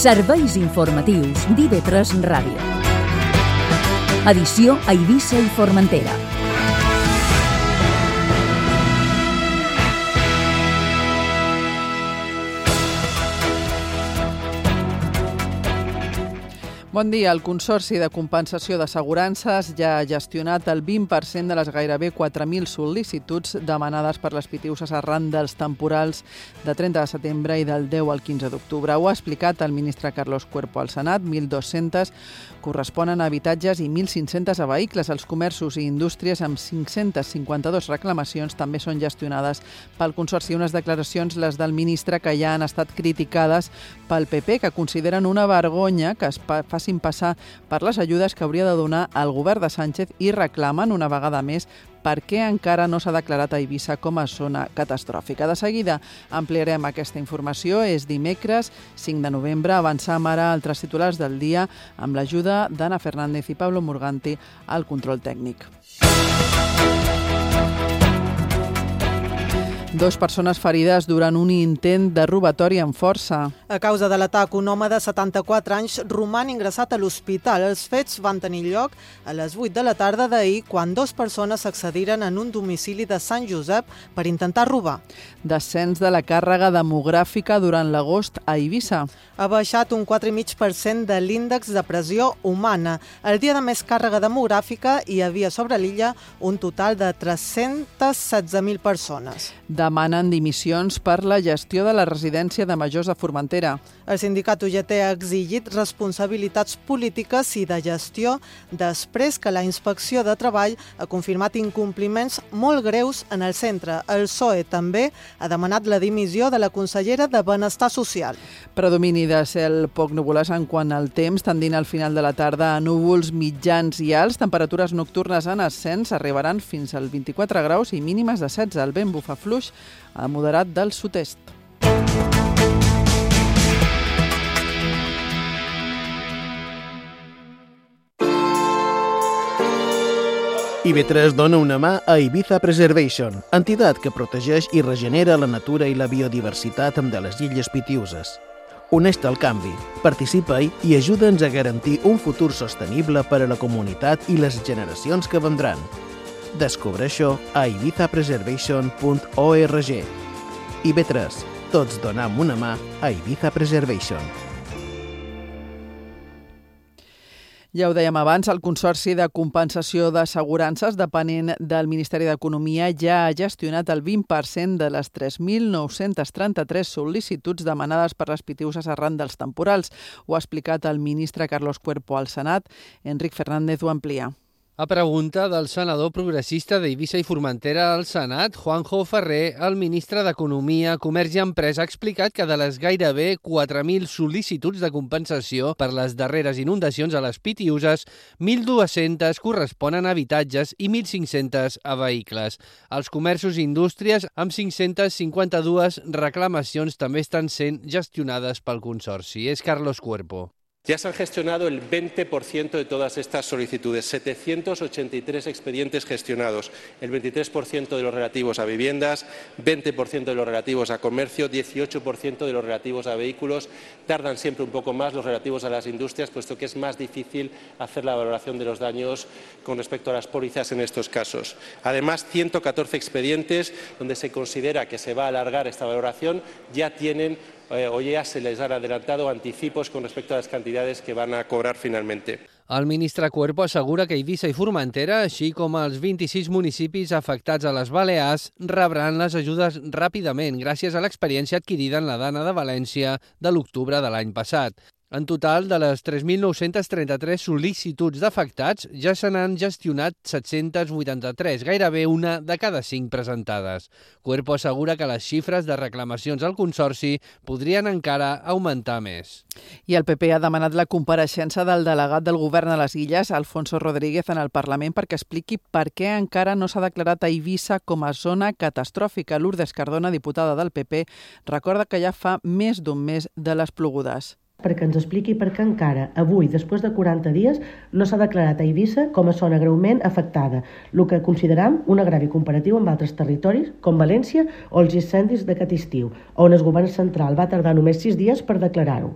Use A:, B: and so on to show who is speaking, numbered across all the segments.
A: Serveis informatius d'IV3 Ràdio. Edició a Eivissa i Formentera.
B: Bon dia. El Consorci de Compensació d'Assegurances ja ha gestionat el 20% de les gairebé 4.000 sol·licituds demanades per les Pitiüses arran dels temporals de 30 de setembre i del 10 al 15 d'octubre. Ho ha explicat el ministre Carlos Cuerpo al Senat. 1.200 corresponen a habitatges i 1.500 a vehicles. Els comerços i indústries amb 552 reclamacions també són gestionades pel Consorci. Unes declaracions, les del ministre, que ja han estat criticades pel PP, que consideren una vergonya que es facin passar per les ajudes que hauria de donar el govern de Sánchez i reclamen una vegada més per què encara no s'ha declarat a Eivissa com a zona catastròfica. De seguida ampliarem aquesta informació. És dimecres, 5 de novembre. Avançam ara altres titulars del dia amb l'ajuda d'Anna Fernández i Pablo Morganti al control tècnic. 2 persones ferides durant un intent de robatori amb força.
C: A causa de l'atac, un home de 74 anys roman ingressat a l'hospital. Els fets van tenir lloc a les 8 de la tarda d'ahir, quan 2 persones s'accediren en un domicili de Sant Josep per intentar robar.
B: Descens de la càrrega demogràfica durant l'agost a Eivissa.
C: Ha baixat un 4,5% de l'índex de pressió humana. El dia de més càrrega demogràfica hi havia sobre l'illa un total de 316.000 persones.
B: Demanen dimissions per la gestió de la residència de majors de Formentera.
C: El sindicat UGT ha exigit responsabilitats polítiques i de gestió després que la Inspecció de Treball ha confirmat incompliments molt greus en el centre. El PSOE també ha demanat la dimissió de la consellera de Benestar Social.
B: Predomini de cel poc nuvolós en quant al temps, tendint al final de la tarda a núvols mitjans i alts. Temperatures nocturnes en ascens arribaran fins als 24 graus i mínimes de 16. El vent bufa fluix a moderat del sud-est.
D: IV3 dona una mà a Ibiza Preservation, entitat que protegeix i regenera la natura i la biodiversitat de les illes Pitiüses. Uneix-te al canvi, participa-hi i ajuda'ns a garantir un futur sostenible per a la comunitat i les generacions que vendran. Descobreix-ho a ibizapreservation.org. IB3, tots donem una mà a Ibiza Preservation.
B: Ja ho dèiem abans, el Consorci de Compensació d'Assegurances, depenent del Ministeri d'Economia, ja ha gestionat el 20% de les 3.933 sol·licituds demanades per les Pitiüses arran dels temporals. Ho ha explicat el ministre Carlos Cuerpo al Senat. Enric Fernández ho amplia.
E: A pregunta del senador progressista d'Eivissa i Formentera al Senat, Juanjo Ferrer, el ministre d'Economia, Comerç i Empresa, ha explicat que de les gairebé 4.000 sol·licituds de compensació per les darreres inundacions a les Pitiüses, 1.200 corresponen a habitatges i 1.500 a vehicles. Els comerços i indústries, amb 552 reclamacions, també estan sent gestionades pel Consorci. És Carlos Cuerpo.
F: Ya se han gestionado el 20% de todas estas solicitudes, 783 expedientes gestionados, el 23% de los relativos a viviendas, 20% de los relativos a comercio, 18% de los relativos a vehículos. Tardan siempre un poco más los relativos a las industrias, puesto que es más difícil hacer la valoración de los daños con respecto a las pólizas en estos casos. Además, 114 expedientes donde se considera que se va a alargar esta valoración ya tienen o ya se les han adelantado anticipos con respecto a las cantidades que van a cobrar finalmente.
E: El ministre Cuerpo assegura que Eivissa i Formentera, així com els 26 municipis afectats a les Balears, rebran les ajudes ràpidament gràcies a l'experiència adquirida en la Dana de València de l'octubre de l'any passat. En total, de les 3.933 sol·licituds d'afectats, ja se n'han gestionat 783, gairebé una de cada 5 presentades. Cuerpo assegura que les xifres de reclamacions al Consorci podrien encara augmentar més.
B: I el PP ha demanat la compareixença del delegat del govern a les Illes, Alfonso Rodríguez, en el Parlament perquè expliqui per què encara no s'ha declarat a Eivissa com a zona catastròfica. Lourdes Cardona, diputada del PP, recorda que ja fa més d'un mes de les plogudes.
G: Perquè ens expliqui per què encara avui, després de 40 dies, no s'ha declarat a Eivissa com a zona greument afectada, el que consideram un agravi comparatiu amb altres territoris, com València o els incendis d'aquest estiu, on el govern central va tardar només 6 dies per declarar-ho.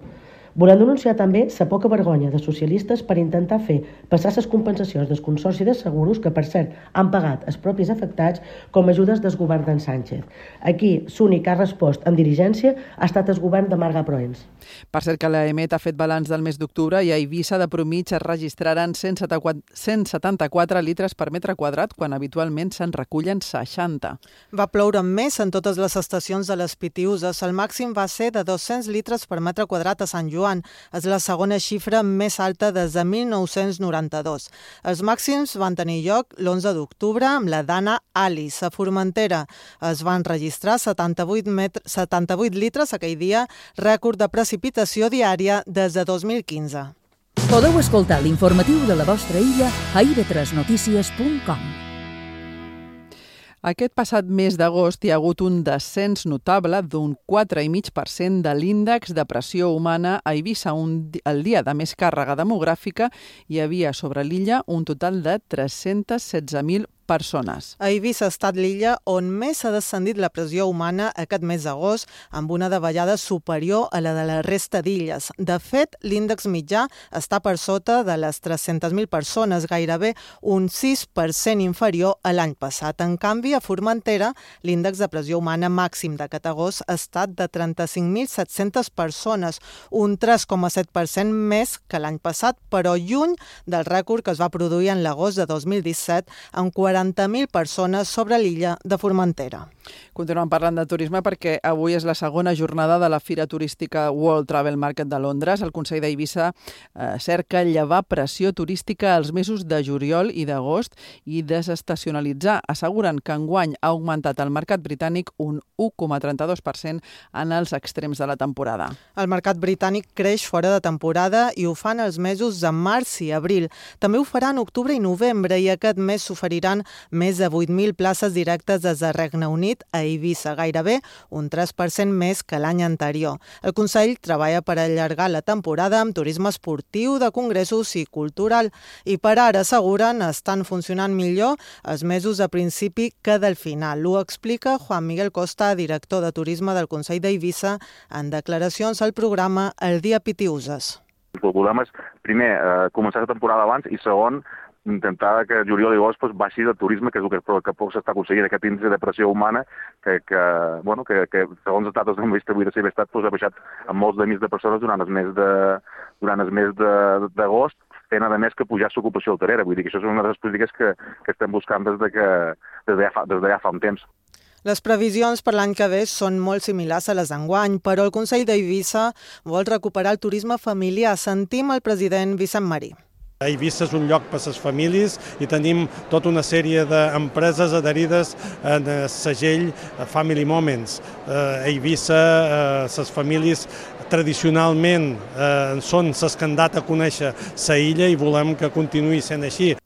G: Volem denunciar també la poca vergonya de socialistes per intentar fer passar les compensacions del Consorci de Seguros, que per cert han pagat els propis afectats, com ajudes del govern d'en Sánchez. Aquí l'únic que ha respost amb diligència ha estat el govern de Marga Proens.
B: Per cert que l'EMET ha fet balanç del mes d'octubre i a Eivissa de promig es registraran 174 litres per metre quadrat, quan habitualment se'n recullen 60.
C: Va ploure més en totes les estacions de les Pitiüses. El màxim va ser de 200 litres per metre quadrat a Sant Joan. És la segona xifra més alta des de 1992. Els màxims van tenir lloc l'11 d'octubre amb la Dana Alice. A Formentera es van registrar 78 litres aquell dia, rècord de precipitació diària des de 2015.
A: Podeu escoltar l'informatiu de la vostra illa a ib3notícies.com.
B: Aquest passat mes d'agost hi ha hagut un descens notable d'un 4,5% de l'índex de pressió humana a Eivissa. El dia de més càrrega demogràfica hi havia sobre l'illa un total de 316.000 persones.
C: A Eivissa ha estat l'illa on més ha descendit la pressió humana aquest mes d'agost, amb una davallada superior a la de la resta d'illes. De fet, l'índex mitjà està per sota de les 300.000 persones, gairebé un 6% inferior a l'any passat. En canvi, a Formentera, l'índex de pressió humana màxim d'aquest agost ha estat de 35.700 persones, un 3,7% més que l'any passat, però lluny del rècord que es va produir en l'agost de 2017, amb 40.000 persones sobre l'illa de Formentera.
B: Continuem parlant de turisme perquè avui és la segona jornada de la Fira Turística World Travel Market de Londres. El Consell d'Eivissa cerca llevar pressió turística als mesos de juliol i d'agost i desestacionalitzar. Asseguren que enguany ha augmentat el mercat britànic un 1,32% en els extrems de la temporada.
C: El mercat britànic creix fora de temporada i ho fan els mesos de març i abril. També ho farà en octubre i novembre i aquest mes s'oferiran més de 8.000 places directes des de Regne Unit a Eivissa, gairebé un 3% més que l'any anterior. El Consell treballa per allargar la temporada amb turisme esportiu, de congressos i cultural. I per ara, asseguren, estan funcionant millor els mesos de principi que del final. Ho explica Juan Miguel Costa, director de turisme del Consell d'Eivissa, en declaracions al programa El Dia Pitiüses.
H: El problema és, primer, començar la temporada abans i, segon, intentar que juliol i agost baixi el turisme, que és el que poc s'està aconseguint, aquest índex de pressió humana que segons els datos de la Cibertat ha baixat amb molts de milers de persones durant el mes d'agost, fent a més que pujar l'ocupació hotelera. Vull dir que això és una de les polítiques que estem buscant des de ja fa un temps.
C: Les previsions per l'any que ve són molt similars a les d'enguany, però el Consell d'Eivissa vol recuperar el turisme familiar. Sentim el president Vicent Marí.
I: Eivissa és un lloc per a les famílies i tenim tota una sèrie d'empreses adherides en el segell Family Moments. Eivissa, les famílies tradicionalment són les que han dat a conèixer la illa i volem que continuï sent així.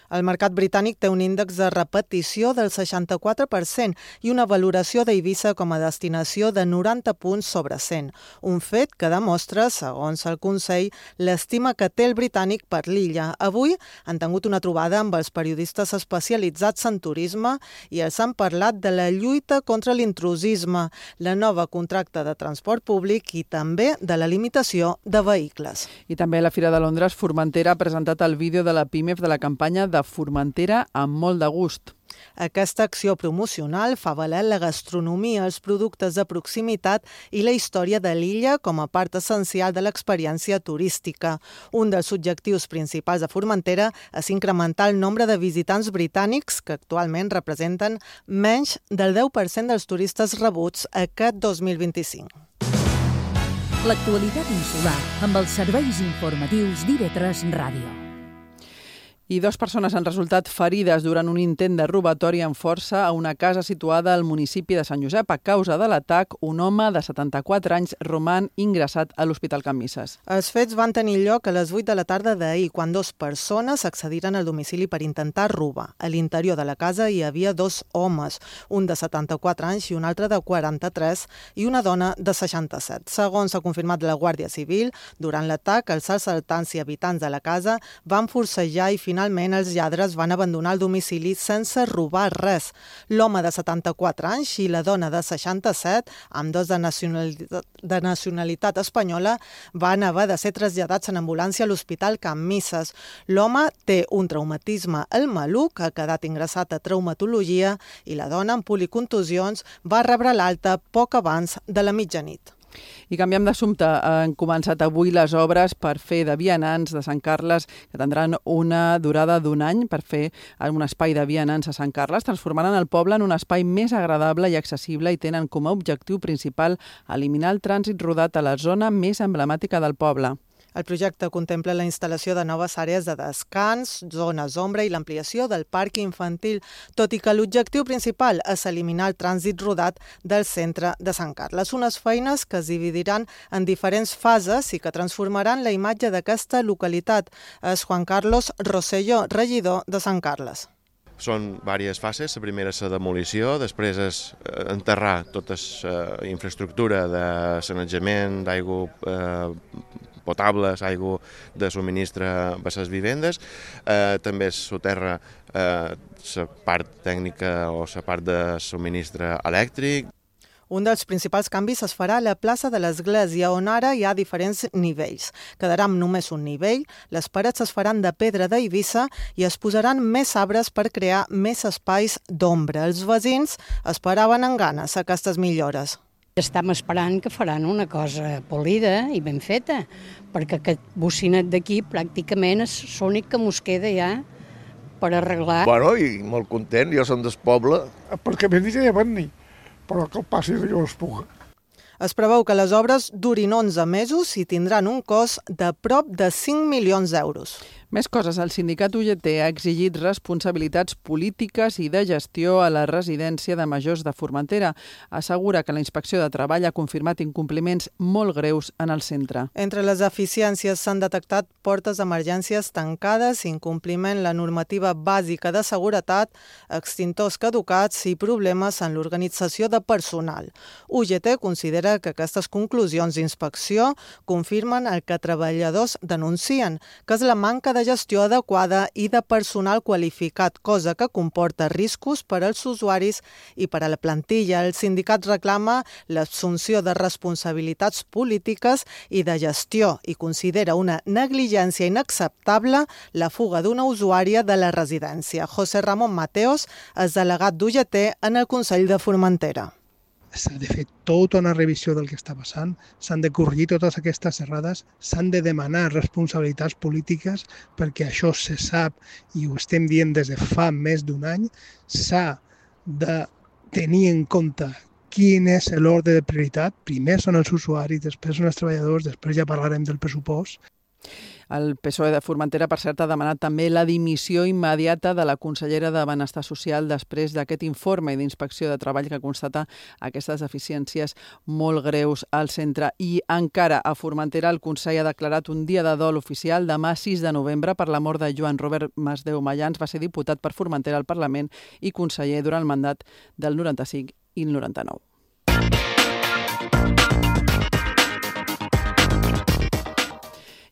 C: El mercat britànic té un índex de repetició del 64% i una valoració d'Eivissa com a destinació de 90 punts sobre 100. Un fet que demostra, segons el Consell, l'estima que té el britànic per l'illa. Avui han tingut una trobada amb els periodistes especialitzats en turisme i els han parlat de la lluita contra l'intrusisme, la nova contracte de transport públic i també de la limitació de vehicles.
B: I també a la Fira de Londres, Formentera ha presentat el vídeo de la PIMEF de la campanya de Formentera amb molt de gust.
C: Aquesta acció promocional fa valer la gastronomia, els productes de proximitat i la història de l'illa com a part essencial de l'experiència turística. Un dels objectius principals de Formentera és incrementar el nombre de visitants britànics, que actualment representen menys del 10% dels turistes rebuts aquest 2025.
A: L'actualitat insular amb els serveis informatius d'IV3 Ràdio.
B: I 2 persones han resultat ferides durant un intent de robatori amb força a una casa situada al municipi de Sant Josep. A causa de l'atac, un home de 74 anys roman ingressat a l'Hospital Can Misses.
C: Els fets van tenir lloc a les 8 de la tarda d'ahir, quan 2 persones accediren al domicili per intentar robar. A l'interior de la casa hi havia 2 homes, un de 74 anys i un altre de 43, i una dona de 67. Segons s'ha confirmat la Guàrdia Civil, durant l'atac, els assaltants i habitants de la casa van forcejar i finalment finalment els lladres van abandonar el domicili sense robar res. L'home de 74 anys i la dona de 67, ambdós de nacionalitat espanyola, van haver de ser traslladats en ambulància a l'Hospital Can Misses. L'home té un traumatisme al maluc, ha quedat ingressat a traumatologia i la dona, amb policontusions, va rebre l'alta poc abans de la mitjanit.
B: I canviem d'assumpte. Han començat avui les obres per fer de vianants de Sant Carles, que tindran una durada d'un any per fer un espai de vianants a Sant Carles. Transformaran el poble en un espai més agradable i accessible i tenen com a objectiu principal eliminar el trànsit rodat a la zona més emblemàtica del poble.
C: El projecte contempla la instal·lació de noves àrees de descans, zones ombra i l'ampliació del parc infantil, tot i que l'objectiu principal és eliminar el trànsit rodat del centre de Sant Carles. Unes feines que es dividiran en diferents fases i que transformaran la imatge d'aquesta localitat. És Juan Carlos Rosselló, regidor de Sant Carles.
J: Són diverses fases. La primera és la demolició, després és enterrar tota la infraestructura de sanejament, d'aigua potables, aigua de subministre a les vivendes. També es soterra la part tècnica o la part de subministre elèctric.
C: Un dels principals canvis es farà a la plaça de l'Església, on ara hi ha diferents nivells. Quedarà amb només un nivell, les parets es faran de pedra d'Eivissa i es posaran més arbres per crear més espais d'ombra. Els veïns esperaven amb ganes aquestes millores.
K: Estem esperant que faran una cosa polida i ben feta, perquè aquest bocinet d'aquí pràcticament és l'únic que mos queda ja per arreglar.
L: Bueno, i molt content, jo som del poble.
M: Perquè m'he dit que ja venir, però que el passi jo es puga.
C: Es preveu que les obres durin 11 mesos i tindran un cost de prop de 5 milions d'euros.
B: Més coses. El sindicat UGT ha exigit responsabilitats polítiques i de gestió a la residència de majors de Formentera. Assegura que la Inspecció de Treball ha confirmat incompliments molt greus en el centre.
C: Entre les eficiències s'han detectat portes d'emergències tancades, incompliment la normativa bàsica de seguretat, extintors caducats i problemes en l'organització de personal. UGT considera que aquestes conclusions d'inspecció confirmen el que treballadors denuncien, que és la manca de gestió adequada i de personal qualificat, cosa que comporta riscos per als usuaris i per a la plantilla. El sindicat reclama l'assumpció de responsabilitats polítiques i de gestió i considera una negligència inacceptable la fuga d'una usuària de la residència. José Ramón Mateos és delegat d'UGT en el Consell de Formentera.
M: S'ha de fer tota una revisió del que està passant, s'han de corregir totes aquestes errades, s'han de demanar responsabilitats polítiques perquè això se sap i ho estem dient des de fa més d'un any, s'ha de tenir en compte quin és l'ordre de prioritat. Primer són els usuaris, després són els treballadors, després ja parlarem del pressupost.
B: El PSOE de Formentera, per cert, ha demanat també la dimissió immediata de la consellera de Benestar Social després d'aquest informe d'inspecció de treball que constata aquestes deficiències molt greus al centre. I encara a Formentera el Consell ha declarat un dia de dol oficial demà 6 de novembre per la mort de Joan Robert Masdeu Mayans. Va ser diputat per Formentera al Parlament i conseller durant el mandat del 95 i el 99.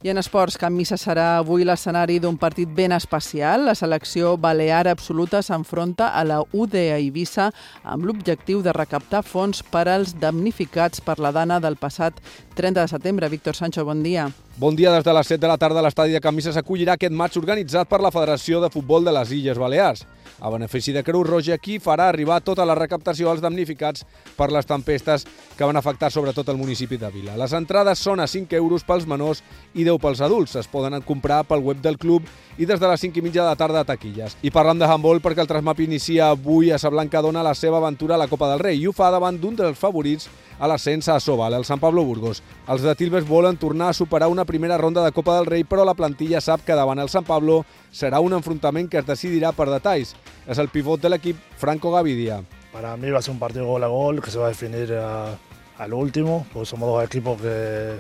B: I en esports, Can Misses serà avui l'escenari d'un partit ben especial. La selecció balear absoluta s'enfronta a la UD Eivissa amb l'objectiu de recaptar fons per als damnificats per la dana del passat 30 de setembre. Víctor Sancho, bon dia.
N: Bon dia. Des de les 7 de la tarda l'estadi de Can Misses acollirà aquest matx organitzat per la Federació de Futbol de les Illes Balears. A benefici de Creu Roja, qui farà arribar tota la recaptació als damnificats per les tempestes que van afectar sobretot el municipi de Vila. Les entrades són a 5 euros pels menors i 10 pels adults. Es poden comprar pel web del club i des de les 5:30 de la tarda a taquilles. I parlant de handbol, perquè el Trasmap inicia avui a Sablancadona la seva aventura a la Copa del Rei i ho fa davant d'un dels favorits a l'ascens a Sobal, el Sant Pablo Burgos. Els de Tilbes volen tornar a superar una primera ronda de Copa del Rei, però la plantilla sap que davant el Sant Pablo serà un enfrontament que es decidirà per detalls. És el pivot de l'equip, Franco Gavidia.
O: Para mí va a ser un partido gol a gol que se va a definir al último, porque somos dos equipos que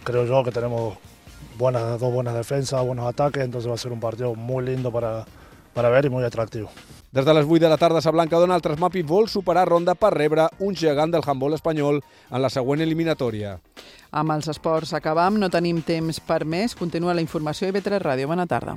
O: creo yo que tenemos dos buenas defensas, buenos ataques, entonces va a ser un partido muy lindo para ver y muy atractivo.
N: Des de les 8 de la tarda a Sablancadona, el Trasmapi vol superar ronda per rebre un gegant del handbol espanyol en la següent eliminatòria.
B: Amb els esports acabam, no tenim temps per més. Continua la informació a IB3 Ràdio. Bona tarda.